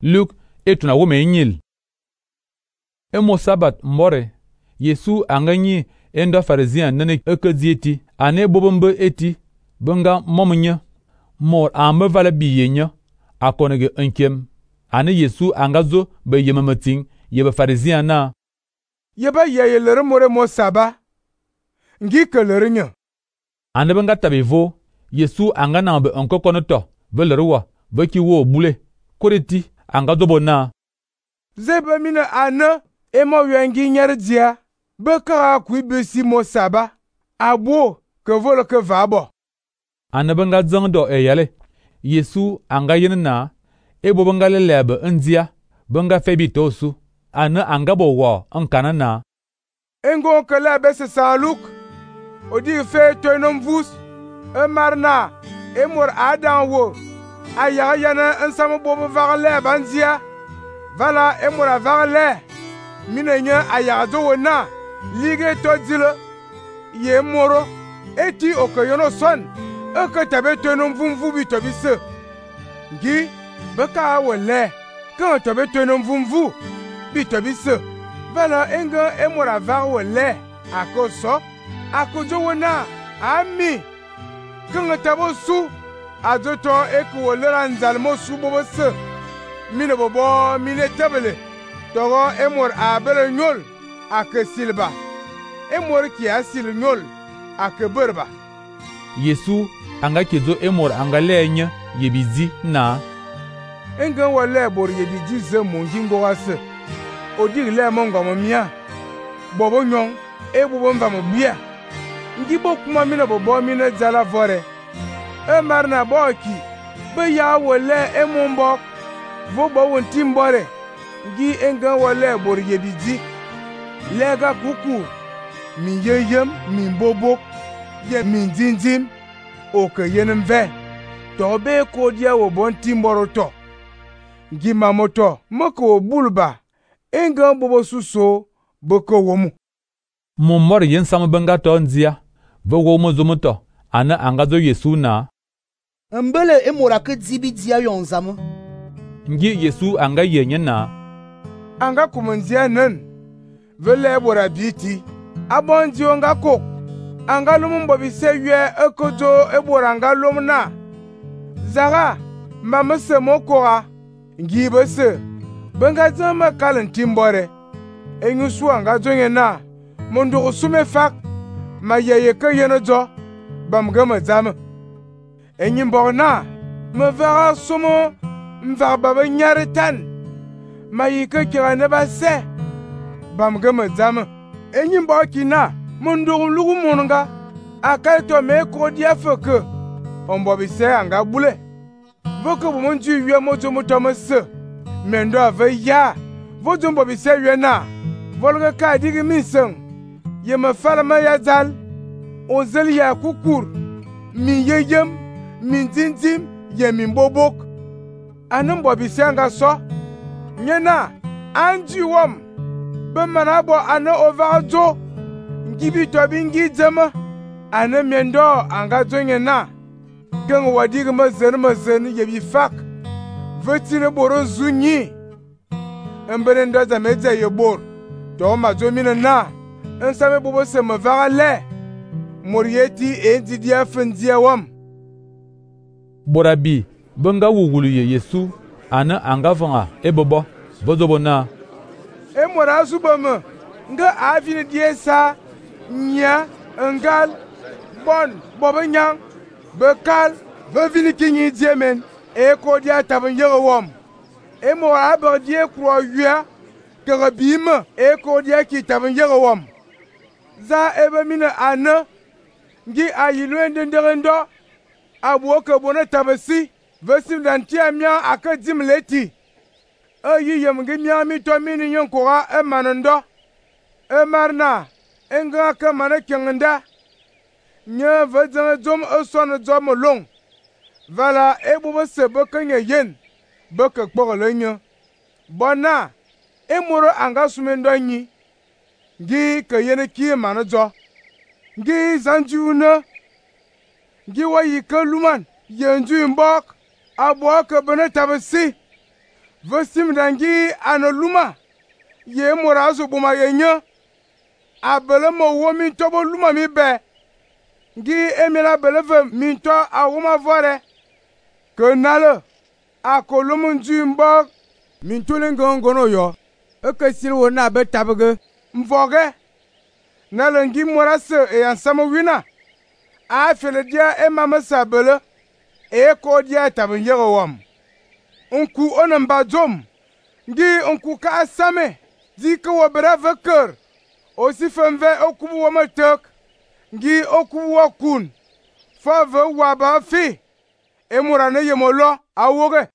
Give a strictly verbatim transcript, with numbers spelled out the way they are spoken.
Luk etuna wome nyil. Emo sabat mbore, Yesu anga nyi endo Pharisien nene ekezi eti, ane bobombe eti, benga momunye, mor ame vala biyenye, akonege enkem. Ane Yesu anga zo be yememeting yebe Pharisien na. Yeba yeye lere more mo saba. Ngi ke lere nye. Ane benga tabivo, Yesu anga na be enkokono to, be lere wa, be ki wo bule, koreti, anga zobo na. Zebe mine ane, emo wengi nyere dia, be kara kui besi mo saba, abo ke vole ke vabo. Ane benga zang do e yale, Yesu anga yen na, ebo benga lelebe ndia, benga febi tosu, ane anga bo wa enkana na. Engo ke lebe se San Luk, odi fe toinom vus, e marna, e mor adan wo, a yaga yana ensam bobo vaga lebe ndia, vala e mor a vaga le, mine nye a yaga do wo na, lige to dile, ye moro, eti oke yono son, e ke tabe toinom vumvu bi to bise. Ngi, beka wo le, kan tobe toinom vumvu, bi to bise. Vala enga e mor a vaga wo le, ako so, ako jo wo na, ami, kan tabo su, a jo to eko wo le ranzal mo su bobo se, mine bobo mine tabele, togo e mor a bele nyol, ake silba, e mor ki a sil nyol, ake berba. Yesu anga kezo e mor anga lenye yebizi na. Enga wo le bor yebizi ze mongi ngoga se, odi le mongo mo mia, bobo nyon, e bobo mva mo bia. Ngi bo kuma mine bobo mine zala vore, e marna boki, be ya wo le e mombok, vo bo won timbore, ngi enga wo le bor yebizi, lega kuku, mi yeyem, mi bobok, ye mi zinzim, oke yenem ve, to be kodia wo bon timboro to. Ngi mamoto, moko bulba, enga bobo suso, boko womu. Mumor yen sam benga to nzia, ve wo mo zomoto, ane anga zo Yesu na. Mbele e mora ke zibi dia yonzamu. Ngi Yesu anga yenye na. Anga kumunzia nen, vele bora biti, abonzi onga kok, anga lumumbo bise yue ekojo e bora anga lumna. Zaga, mamese mokora, ngi bese, benga zama kalen timbore, enyusu anga zonye na, mondo usume fak, ma yeye ke yeno jo, bamgama zame. Enyimbo na, me vera somo, mvar baba nyare tan, ma yike kira neba se, bamgama zame. Enyimbo kina, mondo lugu mononga, akalto me kodia feke, ombo bise anga bule. Voko bumonju yue mojo mutomese, mendo ave ya, vojo mbo bise yue na, volga ka digi miseng, ye me falama ya zal, ozel ya kukur, mi yeyem, min zinzim, ye min bobok. Anem mbo bise anga so, nyena, anji wom, be manabo ane ovajo, ngibi tobi ngi zema, ane mendo anga zonye na, gen wadig ma zen ma zen yebi fak, vetine boro zunyi, mbene ndo za medze ye bor, to ma zo mine na, nsame bobo se me vaga le, morieti enti dia fendia wam. Borabi, benga wugulu ye Yesu, ane anga vanga e bobo, vozobo na. E mora zubame, nga avine die sa, nya, ngal, bon, bobo nyang, bekal, vevini kinyi diemen, e kodia taben yere wom. E mora abar die kro yua, kere bime, e kodia ki taben yere wom. Za ebe mine ane, ngi ayilwen denderendo, abuoke bone tabesi, vesim dantia mian ake dim leti. E yiyem ngi mian mi to mini nyon kora e manendo. E marna, enga ke mane kengenda. Nye vedenge zom e son zom long. Vala e bobo se beke nye yen, beke kpogele nye. Bona, e moro anga sumendo nyi. Ngi ke yene kie mane zo. Ngi zanju une. Ngi wa yi ke luman, yenju mbok, abo ke bene tabesi. ve sim dangi analuma ye mora zo boma ye nya abele mo wo mi to bo luma mi be ngi emira bele ve mi to awoma vore ke nale akolum nju mbo mi to le ngongono yo e ke sil wo na be tabege mvoge nale ngi mora se e ansamo wina a fele dia e mama sabele e ko dia tabin yego wam onku onamba jom ngi onku ka asame di ke wo bera veker osi femve okubu wo matek ngi okubu wo kun fa ve wa ba fi e mura ne yemolo awoge